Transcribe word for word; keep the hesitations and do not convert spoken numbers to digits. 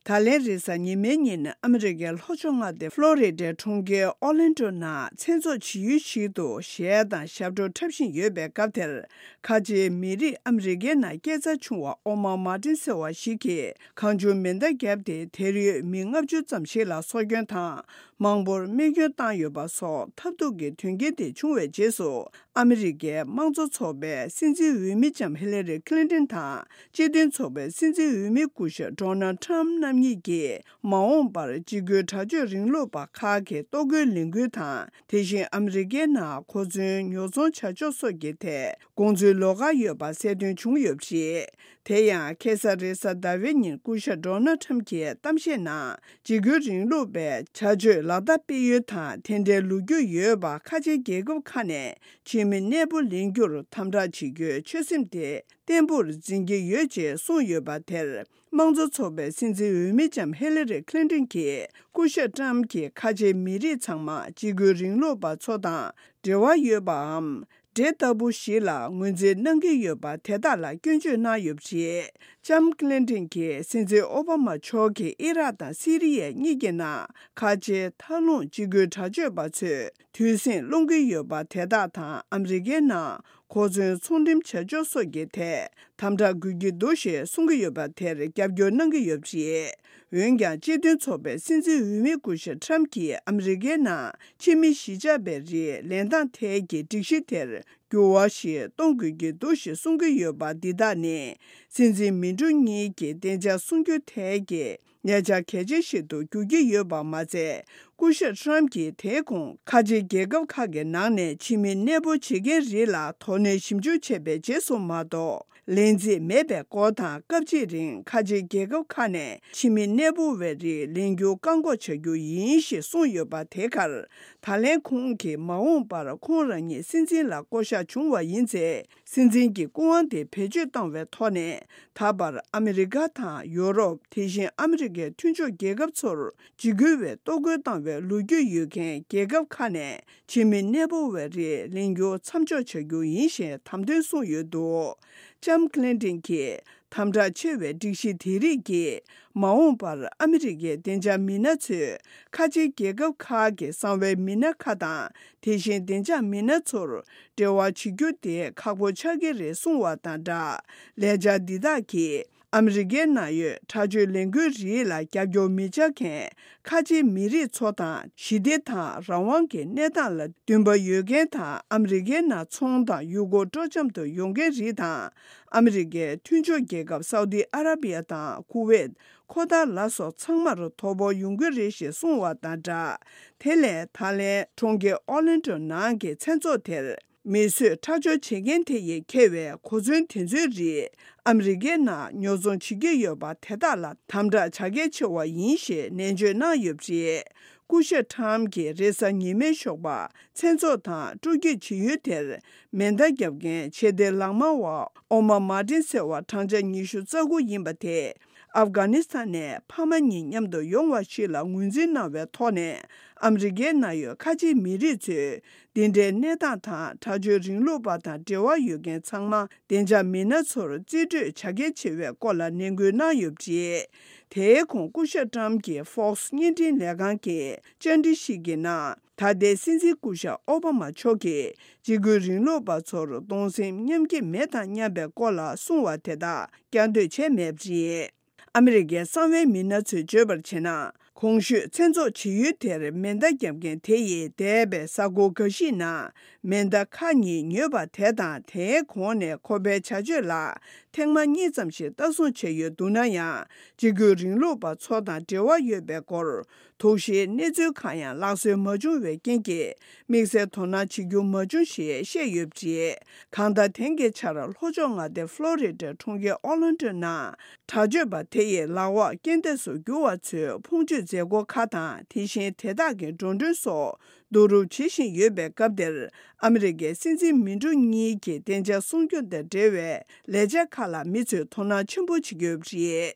ད་ལན་རེས་གཟའ་ཉི་མའི་ཉིན་ཨ་མི་རི་ཀའི་ལྷོ་ཕྱོགས་མངའ་སྡེ་ཕློ་རི་ཌའི་གྲོང་ཁྱེར་ཨོ་ལན་ཌོ་ནང་མཚན་ཚོགས་བྱེད་ཡུལ་ཞིག་ཏུ་གཞས་དང་ཞབས་བྲོ་འཁྲབ་བཞིན་ཡོད་པའི་སྐབས་དེར། ཁ་ཆེའི་མི་རིགས་ཨ་མི་རི་ཀའི་ནང་སྐྱེས་ཚར་བྱུང་བ་ཨོ་མ་མཱ་ཏིན་ཟེར་བ་ཞིག་གིས་གང་བྱུང་མེ་མདའ་བརྒྱབ་སྟེ། དེར་ཡོད་མི་ལྔ་བཅུ་ཙམ་ཞིག་ལ་སྲོག་སྐྱོན་དང་མང་པོར་རྨས་སྐྱོན་བཏང་ཡོད་པ་སོགས་ཐབས་སྡུག་གི་དོན་རྐྱེན་དེ་བྱུང་བའི་རྗེས་སུ། ཨ་མི་རི་ཀའི་དམངས་གཙོ་ཚོགས་པའི་སྲིད་འཛིན་འོས་མི་ལྕམ་ཧི་ལ་རི་ཁི་ལིན་ཏོན་དང་། སྤྱི་མཐུན་ཚོགས་པའི་སྲིད་འཛིན་འོས་མི་སྐུ་ཞབས་ཌོ་ནལ་ཊམ་རྣམ་གཉིས་ཀྱིས། མ་འོངས་པར་འཇིགས་སྐུལ་དྲག་སྤྱོད་རིང་ལུགས་པ་ཁག་གི་གཏོར་རྒོལ་ལས་འགུལ་དང་། དེ་བཞིན་ཨ་མི་རི་ཀའི་ནང་གོ་མཚོན་ཉོ་ཚོང་བྱ་ཕྱོགས་སོགས་ཀྱི་ཐད་དགོངས་ཚུལ་ལོགས་ཀ་ཡོད་པ་གསལ་སྟོན་བྱུང་ཡོད་པ་རེད། དེ་ཡང་ཁ་སང་རེས་གཟའ་ཟླ་བའི་ཉིན་སྐུ་ཞབས་ཌོ་ནལ་ཊམ་གྱི་གཏམ་བཤད་ནང་འཇིགས་སྐུལ་རིང་ལུགས་པའི་བྱ་སྤྱོད་ལག་བསྟར་སྤེལ་ཡུལ་དང་། དེ་འདྲའི་ལོ་རྒྱུས་ཡོད་པ་ཁ་ཆེ་རྒྱལ་ཁབ་ཁག་ནས་ཕྱི་མི་གནས་སྤོ་ལེན་རྒྱུར་དམ་དྲག་བྱེད་རྒྱུའི་ཆོད་སེམས་དེ་བརྟན་པོར་འཛིན་གྱི་ཡོད་ཅེས་གསུངས་ཡོད་པ་དེར། དམངས་གཙོ་ཚོགས་པའི་སྲིད་འཛིན་འོས་མི་ལྕམ་ཧི་ལ་རི་ཁི་ལིན་ཏོན་གྱིས་སྐུ་ཞབས་ཊམ་གྱིས་ཁ་ཆེའི་མི་རིགས་ཚང་མ་འཇིགས་སྐུལ་རིང་ལུགས་པ་ཚོ་དང་འབྲེལ་བ་ཡོད་པའམ། འདྲེ་ལྟ་བུ་ཞིག་ལ་ངོས་འཛིན་གནང་གི་ཡོད་པ་དེ་དག་ལ་སྐྱོན་བརྗོད་གནང་ཡོད་པ་རེད། ལྕམ་ཁི་ལིན་ཏོན་གྱིས་སྲིད་འཛིན་ཨོ་བྷ་མ་མཆོག་གིས་ཨི་རག་དང་སི་རི་ཡ་གཉིས་ཀྱི་ནང་ཁ་ཆེའི་མཐའ་ལྷུང་འཇིགས་སྐུལ་དྲག་སྤྱོད་པ་ཚོས་དུས་ཟིང་སློང་གི་ཡོད་པ་དེ་དག་དང་། ཨ་མི་རི་ཀའི་ནང་གོ་མཚོན་ཚོང་འགྲེམས་བྱ་ཕྱོགས་སོགས་ཀྱི་ཐད་དམ་དྲག་དགོས་ཀྱི་འདུག་ཞེས་གསུང་གི་ཡོད་པ་དེར་རྒྱབ་སྐྱོར་གནང་གི་ཡོད་པ་རེད། འོན་ཀྱང་། སྤྱི་མཐུན་ཚོགས་པའི་སྲིད་འཛིན་འོས་མི་སྐུ་ཞབས་ཊམ་གྱིས་ཨ་མི་རི་ཀའི་ནང་ཕྱི་མི་གཞིས་ཆགས་པའི་རིགས་ལེན་སྟངས་ཐད་ཀྱི་སྒྲིག་གཞི་དེར་འགྱུར་བ་ཞིག་གཏོང་དགོས་ཀྱི་འདུག་ཞེས་གསུང་གི་ཡོད་པ་འདི་དག་ནི། སྲིད་འཛིན་མི་འགྲོ་གཉིས་ཀྱི་བདེ་འཇགས་སྲུང་སྐྱོབ་ཐད་ཀྱི་ཉེ་ཆར་གལ་ཆེ་ཞིག་ཏུ་འགྱུར་གྱི་ཡོད་པ་མ་ཚད། སྐུ་ཞབས་ཊམ་གྱིས་དེའི་གོང་ཁ་ཆེ་རྒྱལ་ཁབ་ཁག་གི་ནང་ནས་ཕྱི་མི་གནས་སྤོ་བྱེད་མཁན་རིགས་ལ་དོ་ནན་ཞིབ་འཇུག་བྱས་པའི་རྗེས་སུ་མ་གཏོགས། ལན་རྩིས་མེད་པའི་སྐོར་དང་། སྐབས་གཅིག་རིང་ཁ་ཆེ་རྒྱལ་ཁབ་ཁག་ནས་ཕྱི་མི་གནས་སྤོ་བའི་རིགས་ལེན་རྒྱུ་བཀག་འགོག་བྱ་རྒྱུ་ཡིན་ཞེས་གསུངས་ཡོད་པ་དེ་གར། ད་ལན་ཁོང་གིས་མ་འོངས་པར་ཁོང་རང་ཉིད་སྲིད་འཛིན་ལ་བསྐོ་གཞག་བྱུང་བ་ཡིན་ཚེ། སྲིད་འཛིན་གྱི་སྐུ་དབང་དེ་བེད་སྤྱོད་བཏང་བའི་ཐོག་ནས། ད་བར་ཨ་མི་རི་ཀ་དང་ཡོ་རོབ། དེ་བཞིན་ཨ་མི་རི་ཀའི་མཐུན་ཕྱོགས་རྒྱལ་ཁབ་ཚོར་འཇིགས་སྐུལ་བའི་གཏོར་རྒོལ་བཏང་བའི་ལོ་རྒྱུས་ཡོད་མཁན་རྒྱལ་ཁབ་ཁག་ནས་ཕྱི་མི་གནས་སྤོ་བའི་རིགས་ལེན་རྒྱུ་མཚམས་འཇོག་བྱ་རྒྱུ་ཡིན་ཞེས་དམ་དོན་གསུངས་ཡོད་འདུག་ལྕམ་ཁི་ལིན་ཏོན་གྱིས། དམ་དྲག་ཆེ་བའི་སྒྲིག་གཞི་དེ་རིགས་ཀྱིས། མ་འོངས་པར་ཨ་མི་རི་ཀའི་བདེ་འཇགས་མི་སྣ་ཚོས་ཁ་ཆེ་རྒྱལ་ཁབ་ཁག་གི་གསང་བའི་མི་སྣ་ཁག་དང་། དེ་བཞིན་བདེ་འཇགས་མི་སྣ་ཚོར་འབྲེལ་བ་བྱེད་རྒྱུ་དེ་ཁག་པོ་ཆགས་ཀྱི་རེད་གསུངས་བ་དང་སྦྲགས། ལས་འཆར་འདི་དག་གིས་ཨ་མི་རི་ཀའི་ནང་ཡོད་དྲག་སྤྱོད་ལས་འགུལ་རིགས་ལ་རྒྱབ་སྐྱོར་མི་བྱ་མཁན་ཁ་ཆེའི་མི་རིགས་ཚོ་དང་། ཞི་བདེ་དང་རང་དབང་གི་གནས་སྟངས་ལ་འདུན་པ་ཡོད་མཁན་དང་། ཨ་མི་རི་ཀའི་ནང་ཚོང་དང་ཡུལ་སྐོར་སྤྲོ་འཆམ་དུ་ཡོང་མཁན་རིགས་དང་། ཨ་མི་རི་ཀའི་མཐུན་ཕྱོགས་རྒྱལ་ཁབ་སའུ་ཏི་ཨ་ར་བི་ཡ་དང་ཁུ་ཝེད། ཁོ་ཐར་ལ་སོགས་ཚང་མར་དོ་ཕོག་ཡོང་གི་རེད་ཞེས་གསུངས་བ་དང་སྦྲགས། དེ་ལས་ད་ལན་གྲོང་ཁྱེར་ཨོ་ལན་ཌོ་ནང་གི་མཚན་ཚོགས་དེར་མི་གསོད་ཁྲག་སྦྱོར་བྱེད་མཁན་དེ་ཡིས་འཁྱེར་བའི་གོ་མཚོན་དེ་ཚོའི་རིགས་ཨ་མི་རི་ཀའི་ནང་ཉོ་ཚོང་བྱེད་ཀྱི་ཡོད་པ་དེ་དག་ལ་དམ་དྲག་བྱ་གལ་ཆེ་བ་ཡིན་ཞེས་ནན་བརྗོད་གནང་ཡོད་པ་རེད། སྐུ་ཞབས་ཊམ་གྱིས་རེས་གཟའ་ཉི་མའི་ཞོགས་པ་མཚན་ཚོགས་དང་སྤྲོ་སྐྱིད་བྱེད་ཡུལ་དེར་མེ་མདའ་བརྒྱབ་མཁན་ཆེས་མཐོའི་ལག་དམར་བ་ཨོ་མ་མཱ་ཏིན་ཟེར་བ་བགྲང་བྱ་ཉི་ཤུ་རྩ་དགུ་ཡིན་པ་དེས། ཨབ་གྷ་ནི་སི་ཐན་ནས་ཕ་མ་གཉིས་མཉམ་དུ་ཡོང་བ་ཞིག་ལ་ངོས་འཛིན་གནང་བའི་ཐོག་ནས། ཨ་མི་རི་ཀའི་ནང་ཡོད་ཁ་ཆེའི་མི་རིགས་ཚོས་འདི་འདྲའི་གནས་སྟངས་དང་། དྲག་སྤྱོད་རིང་ལུགས་པ་དང་འབྲེལ་བ་ཡོད་མཁན་ཚང་མ་བདེ་འཇགས་མི་སྣ་ཚོར་རྩིས་སྤྲོད་བྱ་གལ་ཆེ་བའི་སྐོར་ལ་ནན་སྐུལ་གནང་ཡོད་པ་རེད། དེའི་གོང་སྐུ་ཞབས་ཊམ་གྱིས་ཧྥོག་སི་བརྙན་འཕྲིན་ལས་ཁང་གི་བཅར་འདྲི་ཞིག་གི་ནང་། ད་ལྟའི་སྲིད་འཛིན་སྐུ་ཞབས་ཨོ་བྷ་མ་མཆོག་གིས་འཇིགས་སྐུལ་རིང་ལུགས་པ་ཚོར་གདུང་སེམས་མཉམ་སྐྱེད་མེད་དམ་སྙམ་པའི་སྐོར་ལ་གསུངས་བ་དེ་དག་བསྐྱར་ཟློས་བྱས་མེད་པ་རེད། ཨ་མི་རི་ཀའི་གསང་བའི་མི་སྣ་ཚོས་བརྗོད་པར་བྱས་ན། གོང་ཞུས་མཚན་ཚོགས་བྱེད་ཡུལ་དེར་མེ་མདའ་བརྒྱབ་མཁན་དེ་ཡིས་འདས་པའི་གཟའ་འཁོར་འགའ་ཞིག་ནང་མེ་མདའ་ཁག་གཉིས་ཉོས་པ་དེ་དང་། དེའི་གོང་ནས་ཁོ་པའི་བྱ་སྤྱོད་ལ་ཐེངས་མ་གཉིས་ཙམ་ཞིག་ལྟ་སྲུང་བྱས་ཡོད་འདུག་ན་ཡང་། འཇིགས་སྐུལ་རིང་ལུགས་པ་ཚོ་དང་འབྲེལ་བ་ཡོད་པའི་སྐོར། དོགས་གཞིའི་གནས་ཚུལ་གང་ཡང་ལག་སོན་མ་བྱུང་བའི་རྐྱེན་གྱིས། དམིགས་བསལ་དོ་སྣང་བྱེད་རྒྱུ་མ་བྱུང་ཞེས་བཤད་ཡོད་པ་རེད། གང་ལྟར། དེང་གི་ཆར་ལྷོ་ཕྱོགས་མངའ་སྡེ་ཕློ་རི་ཌའི་གྲོང་ཁྱེར་ཨོ་ལན་ཌོ་ནང་དྲག་སྤྱོད་པ་དེ་ཡི་ལག་འོག་རྐྱེན་འདས་སུ་གྱུར་བ་ཚོའི་ཕུང་མཆོད་མཛད་སྒོ་ཁག་དང་། དེ་བཞིན་དེ་དག་གི་འགྲོ་གྲོན་སོགས་བསྡུ་རུབ་བྱེད་བཞིན་ཡོད་པའི་སྐབས་དེར། ཨ་མི་རི་ཀའི་སྲིད་འཛིན་མི་འགྲོ་གཉིས་ཀྱི་བདེ་འཇགས་སྲུང་སྐྱོབ་དང་འབྲེལ་བའི་ལས་འཆར་ཁག་ལ་མི་ཚོས་དོ་སྣང་ཆེན་པོ་བྱེད་ཀྱི་ཡོད་པ་རེད།